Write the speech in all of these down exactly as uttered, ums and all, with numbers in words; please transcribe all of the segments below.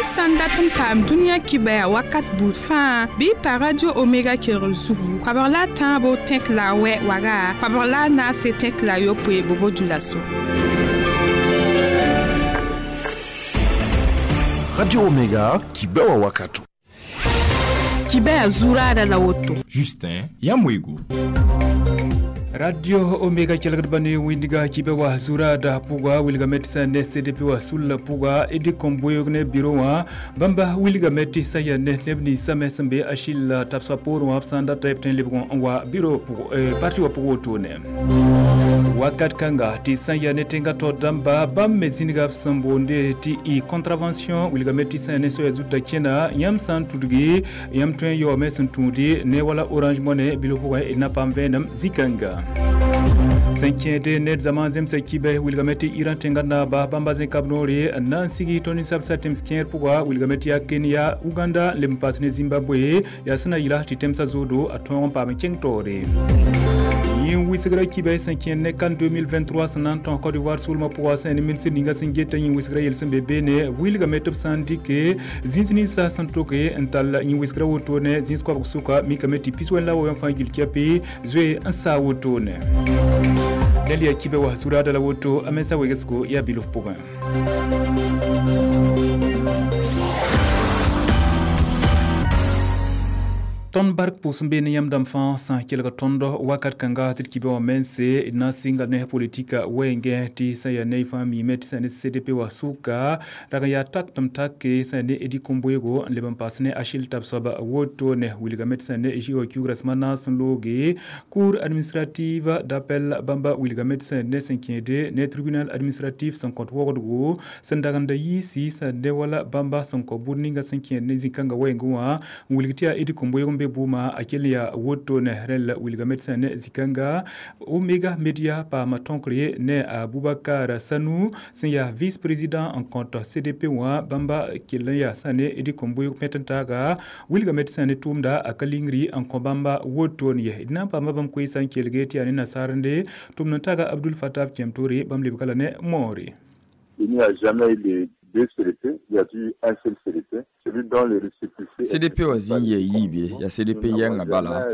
Yãmb sã n dat n paam dũniyã kibaya wakat buud fãa bɩ y pa Radio Omega kelgr zugu koabg la a tãabo tẽk la a wɛ waga koabg la a naase tẽk la a yopoe bobo dulaso. Radio Omega kibewa wakato. Kibaya zurada la woto. Justin Yamwego. Radio Omega kelgd bane windiga kibewa zurada puga wilga metisa ne C D P wa sulla puga Eddie Komboyog ne bureau wa bamba wilga metisa ya ne nebni same sembe Achille tapsa por wa sanda type ten lebgon wa bureau pugo eh, parti wa pugo tone wakat kanga ti sanya ne tenga to damba bam mezinga sambonde ti i contravention wilga metisa ne so zuta kena yam san tudgi yam twen yo mesun tudi ne wala Orange Money bilo puga ina pam venam zikanga Cinquième net zaman zemse kibe wilgameti Iran tengana ba bamba zen kabnori nan sigi toni sabsa temskier puga wilgameti ya Kenya Uganda lempas ne Zimbabwe ya sina yila ti temsa zodo aton pa mekeng tore yin wisigra kibe cinquième ne kan deux mille vingt-trois sanan ton Côte d'Ivoire sulma puga sen minsi ninga singeta yin wisigra yelsen bebe ne wilgameti sandike zinzini sa santoke ental yin wisigra wotone zinsko suka mikameti piswela wo yamfangil kiapi zwe ansa wotone Delia kibe wa zurada la woto amesa wegesko ya biluf puga. Ton bark pʋʋs n be ne yãmb dãmb fãa sã n kelg tõnd wakat kãnga tɩ d kibã wã mense d na n sɩnga ne politika wɛɛngẽ tɩ sã n yaa ne y fãa miime tɩ sã n ne C D P wã sʋka rag n yaa tak tɩ m take sã n ne Eddie Komboyego n leb n paas ne Achille Tabsoba woto ne wilgame tɩ sã n ne J O Q rasmã naas n looge cour administrative d'appel bãmba wilgame tɩ sã n ne sẽn kẽede ne tribunal administratif sẽn kõt wogdgo sẽn dagenda yiisi sã n ne wala bãmba sẽn kõ bũd ninga sẽn kẽed ne zĩ-kãngã wɛɛngẽ wã n wilg tɩ yaa Eddie Komboyego be buma akel ya woto ne rel wilgamet sene zikanga Omega Media pa matonkre ne Aboubacar Sanou sen ya vice président en compte C D P wa bamba kelen ya sane Eddie Komboyo metentaga wilgamet sene tumda akalingri en bamba woto ne na pa mabam ko san kelgeti ya ne nasarande tumna taga Abdul Fattah Kemtori bam lebkala ne mori. Il n'y a jamais eu de deux C D P, il y a eu un seul C D P, celui dont le récépissé. C D P wa zĩn yaa yiibe yaa C D P yɛngã bala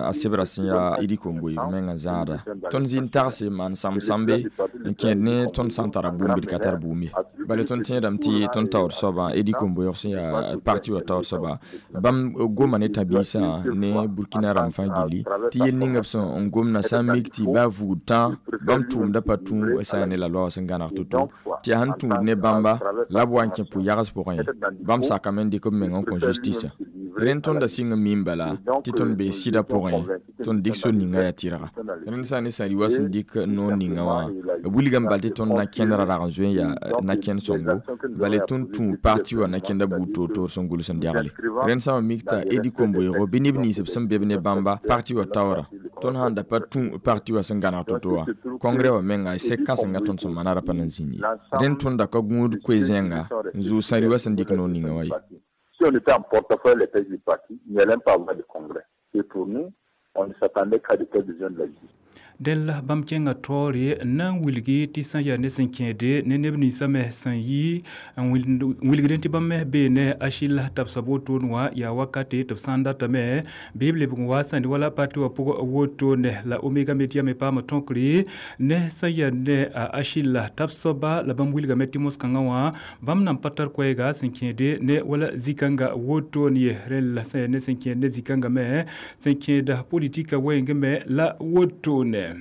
a sebra sẽn yaa Eddie Komboyg mengã zãada tõnd zĩ n tagse maan sãmb-sãmbe n kẽed ne tõnd sã n tara bũmb d ka tar bũmb ye bala tõnd tẽedame tɩ tõnd taoor soabã Eddie Komboyg sẽn yaa parti wã taoor soaba bãmb goma ne tã-biisã ne Burkina rãmb fãa gilli tɩ yel ninga b sẽn n gomna sã n mik tɩ baa vugd tã bãmb tʋʋmda pa tũ sã n ne la loa sẽn gãneg to-to tɩ yaa sẽn tũud ne bãmba la b wa n kẽ pʋ-yags pʋgẽ bãmb sakame n dɩk b meng n kõ justice rẽnd tõnda sɩng n miim bala tɩ tõnd bee sɩdã pʋgẽ tõnd dɩk sor ninga yaa tɩrga rẽnd sã n ne sã-ri wa sẽn dɩk noor ninga wã b wilgame bal tɩ tõnd na kẽndrã rag n zoe n yaa na-kẽnd sõngo bala tõnd tũ parti wã na-kẽnda buud toor-toor sẽn gʋls n dɛgle rẽnd sã n mik t'a Eddie Komboygo bɩ neb nins b sẽn be b ne bãmba parti wã taoora tõnd sãn da pa tũ parti wã sẽn gãneg to-to wã congrès wã menga sek kãsenga tõnd sẽn maana ra pa na n zĩnd ye rẽnd tõnda ka gũud koe-zẽnga n zʋʋg sã-ri wa sẽn dɩk noor ninga wã ye. Si on était en portefeuille les têtes du parti, il n'y allait pas avoir de congrès. Et pour nous, on ne s'attendait qu'à de telles décisions de la justice. Del bãmb kẽngã taoore na n wilgi tɩ sã n yaa ne sẽn kẽede ne neb ninsã me sẽn yi n wilgdẽ tɩ bãmb me bee ne Achille Tabsoba wotone wã yaa wakate tɩ b sã n datame bɩ b lebg n wa sãnd wala parti wã pʋg wotone la Omega Media me paama tõkre ne sã n yaa ne Achille Tabsoba la bãmb wilgame tɩ mos-kãngã wã bãmb nan pa tar koɛɛga sẽn kẽede ne wala zĩ-kãngã wotone ye rẽnd la sã n yaa ne sẽn kẽed ne zĩ-kãngã me sẽn kẽeda politika wɛɛngẽ me la wotone.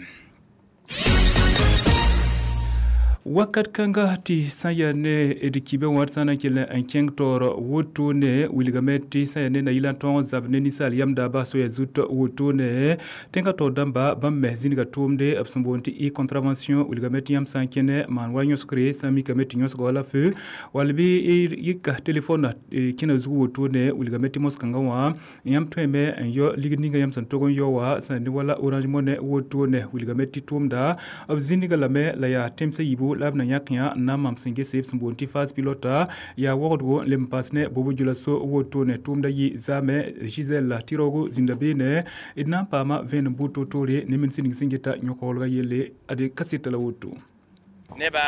Wakat kãnga tɩ sã n yaa ne d kibẽ wã sã n na n kell n kẽng taoor wotone wilgame tɩ sã n yaa ne na-yɩl n tõog n zab ne ninsaal yam daaba soaya zut wotone tẽngã taoor dãmba bãmb me zĩnga tʋʋmde b sẽn boond tɩ e contravention wilgame tɩ yãmb sã n kẽne maan wa yõsgre sã n mikame tɩ yõsga wala feu wall bɩ yɩka telefon kẽna zug wotone wilgame tɩ mos-kãngã wã yãmb tõeme n yao ligd ninga yãmb sẽn tog n yao wã sã n ne wala Orange Money wotone wilgame tɩ tʋʋmda b zĩnga lame la yaa tẽmsã yiibu la b na yãk yã n na n mam sẽn gese b sẽn boond tɩ phase pilote yaa wogdgo n leb n paas ne bobo djulaso wotone tʋʋmda yɩ zaame Gisèle tɩ-raoogo zĩnda beene d na n paama vẽenem buud to-toore ne min sẽn ning sẽn geta yõk-waoolgã yelle ade kaseta la woto. Nebã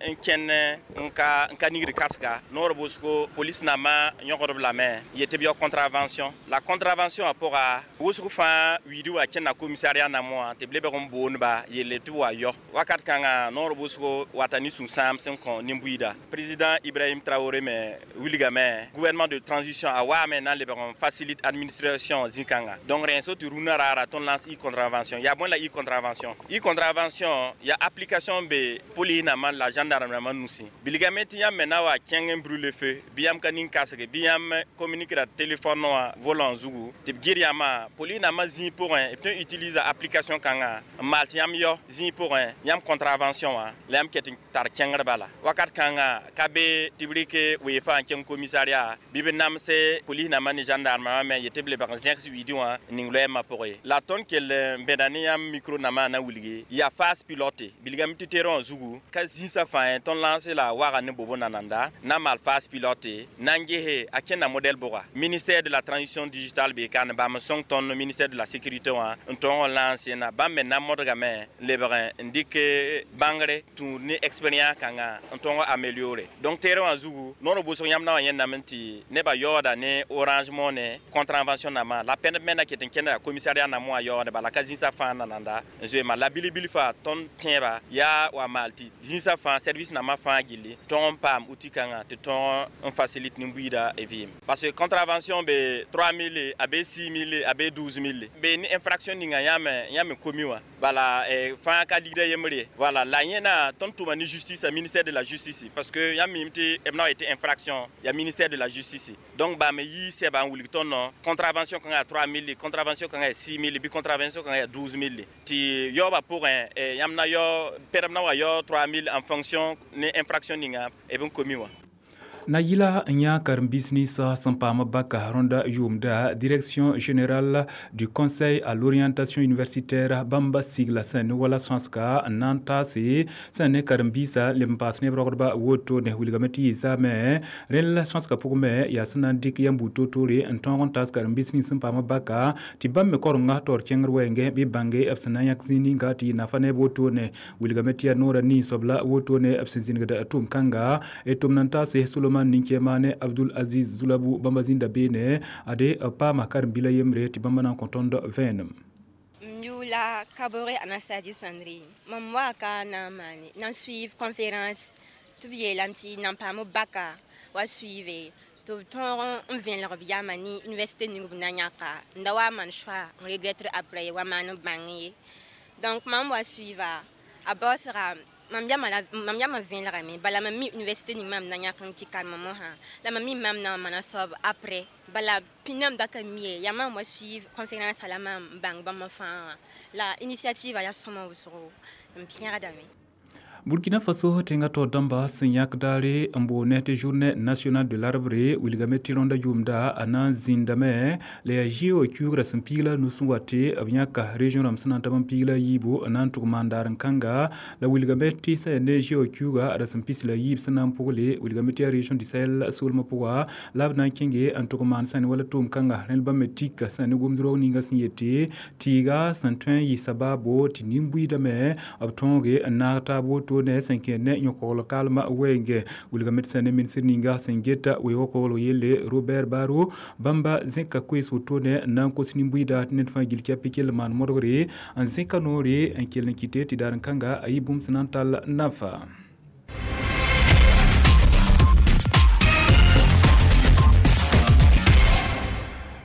n kẽnd n ka n ka nigd kasga noor wʋsgo polis nambã yõgdb lame n yet tɩ b yao contravention la contravention wã pʋga wʋsg fãa wiidi wa kẽnda commissariat nambã wã tɩ b lebg n boonba yelle tɩ b wa yao wakat kãnga noor wʋsgo wata ne sũ-sãam sẽn kõ nin-buiida président Ibrahim Traoré me wilgame gouvernement de transition a waame na n lebg n facilite administration zĩ-kãnga donc rẽ so tɩ rũnã raara tõnd lance e-contravention yaa bõe la e-contravention e-contravention yaa application be police nambã la gendarme nambã nusẽ bilgame tɩ yãmb me na wa kẽng n brûle feu bɩ yãmb ka nin kasge bɩ yãmb communique ra téléphone wã volant zugu tɩ b gɩr yãmbã police nambã zĩig pʋgẽ b tõe n utilise application kãngã n maal tɩ yãmb yao zĩig pʋgẽ yãmb contravention wã la yãmb ket n tar kẽngr bala wakat kãnga ka be tɩ b rɩk weefã n kẽng commissariat bɩ b namse police nambã ne gendarme wã me yetɩ b lebg n zẽgs wiidi wã n ning loɛɛmã pʋgẽ ye la tõnd kell n bẽda ne yãmb micro nambã na wilgi yaa phase pilote bilgame tɩ terrain wã zugu ka zĩsã fãa tõnd lance la waga ne bobo nananda na maal phase pilote na n gese a kẽnda modèle bʋga ministère de la transition digitale bee ka ne bãmb n sõng tõnd ministère de la sécurité wã n tõog n lance na bãmb me na modgame n lebg n dɩk bãngre tũud ne expérience kãngã n tõog améliorer donc terrain wã zugu noor wʋsg yãmb na wa yẽndame tɩ nebã yaooda ne Orange Money contravention nambã la pẽnd me na ket n kẽnda commissariat nambã wã yaoode bala ka zĩsã fãa nananda n zoeema la bilbil faa tõnd tẽeba yaa wa maal tɩ zĩsã fãa service nambã fãa gilli tõog n paam outil kãngã tɩ tõog n facilite nin-buiida vɩɩm parce que contravention be trois mille a be six mille a be douze mille be ne infraction ninga yãmb yãmb komi wã bala fãa ka ligda yembre voilà la yẽna tõnd tʋma ne justice a ministère de la justice parce que yãmb mim tɩ b na wa yetɩ infraction ya ministère de la justice donc bame yi sɛba n wilg tõnd contravention kãngã ya trois mille contravention kãngã ya six mille bɩ contravention kãngã ya douze mille tɩ yaoobã pʋgẽ yãmb na yao pɛdb na wa yao trois mille en fonction ne infraction ninga b n komi wã na yɩla n yã karen-biis ninsã sẽn paam baka rõnda yʋʋmda direction générale du conseil à l'orientation universitaire bãmba sigla sẽn ne wala sõsga n na n taase sẽn ne karen-biisã leb n paas neb rogdba wotone wilgame tɩ yɩ zaame rẽnd la sõsga pʋgẽ me yaa sẽn na n dɩk yãmb buud toor-toore n tõog n taas karen-biis nins sẽn paam baka tɩ bãmb me korenga taoor kẽngr wɛɛngẽ bɩ bãnge b sẽn na n yãk zĩig ninga tɩ yɩ nafa neb wotone wilgame tɩ yaa noorã nin-soab la wotone b sẽn zĩnigd tʋʋm-kãnga d tʋm na n taase Solomon ninkema ne Abdul Aziz Zulabu bãmba zĩnda beene ade paama karen-bila yembre tɩ bãmba na n kõ tõnd vẽenem Yula Kabore Anastasie Sandrine. Mam wa ka na maane na suivre conférence tɩ b yeelame tɩ nan paam baka wa suive tɩ b tõog n vẽlg b yama ne université ning b na yãka n da wa maan choix n regretter après wa maan n bãng ye donc mam wa suiva a baoosga mam yama la mam yama vẽlgame bala mam mi université ning mam na yãk n tɩ karema mosã la mam mi mam na n maana soab après bala pĩndame da ka mi ye yaa mam wa suivre conférence la mam bãng bãmb fãa wã la initiative yaa sõma wʋsgo n pẽgdame Burkina Faso tẽngã taoor dãmba sẽn yãk daare n boone tɩ journée nationale de l'arbre wilgame tɩ rõnda yʋʋmda a na n zĩndame la yaa G O kiuugrã sẽn piig la a nus n wa tɩ b yãka région rãmb sẽn na n tab n piig la a yiibu n na n tʋg maan daar n kãnga la wilgame tɩ sã yaa ne G O kiuuga ra sẽn pis la yiib sẽn na n pʋgle wilgame tɩ yaa région du Sahel soolmã pʋga la b na n kẽnge n tʋg maan sã ne wala tʋʋm kãnga rẽnd bãmb me tika sã ne gomd roog ninga sẽn yete tɩɩga sẽn tõe n yɩ sabaabo tɩ nin-buiidame b tõoge n naag taab woto ne sẽn kẽer ne yõ-kogl kalmã wɛɛngẽ wilgame tɩ sã ne ministr ninga sẽn geta weoog kogl yelle Robert Baro bãmba zẽka koees wotone n na n kos nin-buiida tɩ ned fãa gil kɛp kell maan modgre n zẽka noore n kell n kɩte tɩ daar n kãnga a yɩ bũmb sẽn na n tall nafa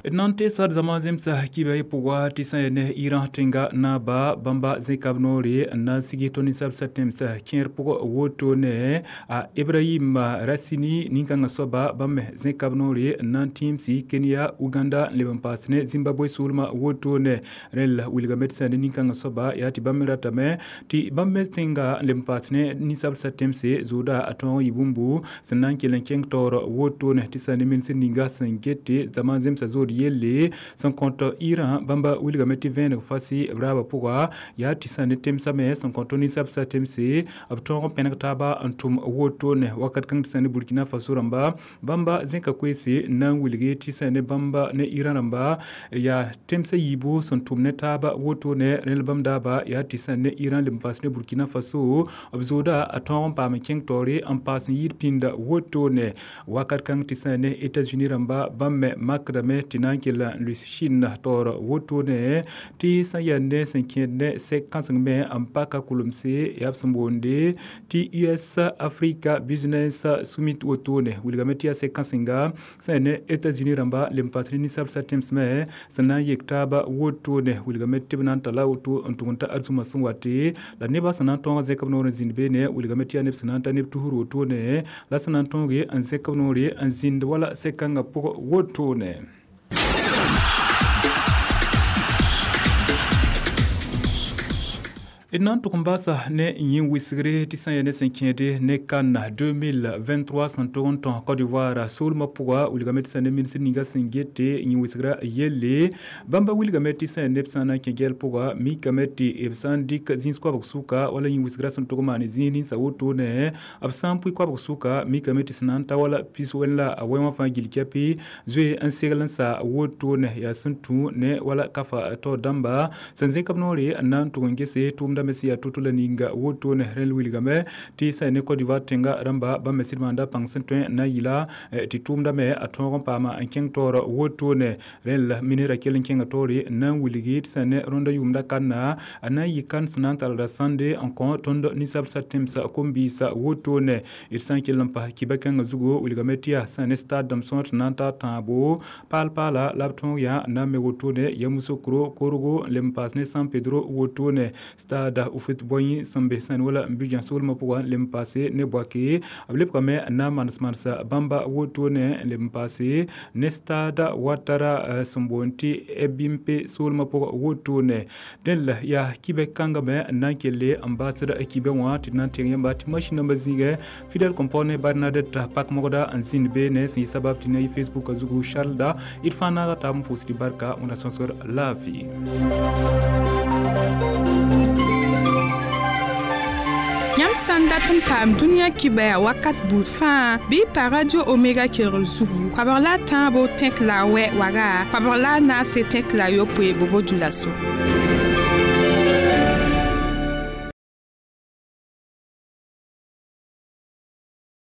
d na n teesa d zama zemsa kiba y pʋga tɩ sã ya ne Iran tẽnga naaba bãmba zẽka b noore n na n sig tõnd ninsab sa tẽmsa kẽer pʋg wotone a Ibrahim Rassini nin-kãngã soaba bãmb me zẽka b noore n na n tĩimsi Kenya Uganda n leb n paas ne Zimbabwe soolmã wotone rẽnd la wilgame tɩ sã ne nin-kãngã soaba yaa tɩ bãmb me ratame tɩ bãmb me tẽnga n leb n paas ne ninsab sa tẽmse zooda a tõog n yɩ bũmbu sẽn na n kell n kẽng taoor wotone tɩ sã ne ministr ninga sẽn gete zama zemsa zood yelle sẽn kõt Iran bãmba wilgame tɩ vẽeneg fasi b raabã pʋga yaa tɩ sã ne temsã me sẽn kõt ninsabsã temse b tõog n pẽneg taaba n tʋm wotone wakat kãng tɩ sã ne Burkina Faso rãmba bãmba zẽka koeese n na n wilge tɩ sã ne bãmba ne Iran rãmba yaa temsã yiibu sẽn tʋm ne taaba wotone rẽl bãmb daaba yaa tɩ sã ne Iran leb n paas ne Burkina Faso b zooda a tõog n paam n kẽng taoore n paas n yɩɩd pĩnda wotone wakat kãng tɩ sã ne États-Unis rãmba bãmb me makdame tɩ na n kell n lʋɩs Chine taoor wotone tɩ sã yaa ne sẽn kẽed ne sɛk kãseng me n paka kulemse yaa b sẽn boonde tɩ U S Africa Business Summit wotone wilgame tɩ yaa sɛk kãsenga sã yaa ne États-Unis rãmba leb n paas ne ninsabsã tẽms me sẽn na n yek taaba wotone wilgame tɩ b na n tala woto n tʋg n ta arzũmã sẽn wate la nebã sẽn na n tõog n zẽk b noor n zĩnd beene wilgame tɩ yaa neb sẽn na n ta neb tusr wotone la sẽn na n tõoge n zẽk b noore n zĩnd wala sɛk kãngã pʋgẽ wotone. D na n tʋg n baasa ne yĩn wisgre tɩ sã n yaa ne sẽn kẽede ne CAN deux mille vingt-trois sẽn tʋg n tõ Côte d'Ivoire soolmã pʋga wilgame tɩ sã ne ministr ninga sẽn gete yĩn wisgra yelle bãmba wilgame tɩ sã n yaa neb sã n na n kẽ gɛl pʋga mikame tɩ b sã n dɩk zĩis koabg sʋka wala yĩn wisgra sẽn tʋg n maan zĩis ninsã wotone b sã n pʋɩ koabg sʋka mikame tɩ sẽn na n ta wala pis wẽn la a wɛ wã fãa gill kɛpɩ zoe n segl n sa wotone yaa sẽn tũ ne wala kafa taoor dãmba sẽn zẽk b noore n na n tʋg n gese tʋʋmda me sẽn yaa to-to la ninga wotone rẽl wilgame tɩ sã ne Côte d'Ivoire tẽnga rãmba bãmb me sɩd maanda pãng sẽn tõe n na n yɩla tɩ tʋʋmda me a tõog n paama n kẽng taoor wotone rẽl ministrã kell n kẽnga taoore n na n wilgi tɩ sã ne rõndã yʋʋmda kanna a na n yɩ kan sẽn na n talda sãnde n kõ tõnd ninsabsã tẽmsã kom-biisã wotone d sã n kell n pas kiba kãngã zugu wilgame tɩ yaa sã ne stade dãmb sõor tɩ na n ta tãabo paal-paala la b tõog yaa n na n me wotone Yamoussoukro Korhogo n leb n paas ne San Pedro wotone stade Houphouët-Boigny sẽn be sã n wala n Abidjan soolmã pʋgã leb n paase ne Bouaké b lebgame n na n manes manesa bãmba wotone n leb n paase ne stade Ouattara sẽn boond tɩ Ebimpe soolmã pʋgã wotone dẽn la yaa kibɛ kãngã me n na n kelle n baasd kibɛ wã tɩ d na n teng yãmba tɩ masĩn nambã zĩigẽ Fidèle Compone Bernadette Pak-Mogda n zĩnd beene sẽn yɩ sabab tɩ na yɩ Facebook a zugu Charles da d fãa naaga taab n pʋʋsd barka wẽnna sõsgr laafɩ. Yãmb sã n dat n paam dũniyã kibaya wakat buud fãa bɩ pa Radio Omega kelgr zugu koabg la a tãabo tẽk la a wɛ waga koabg la a naase tẽk la a yopoe bobo dũlaso.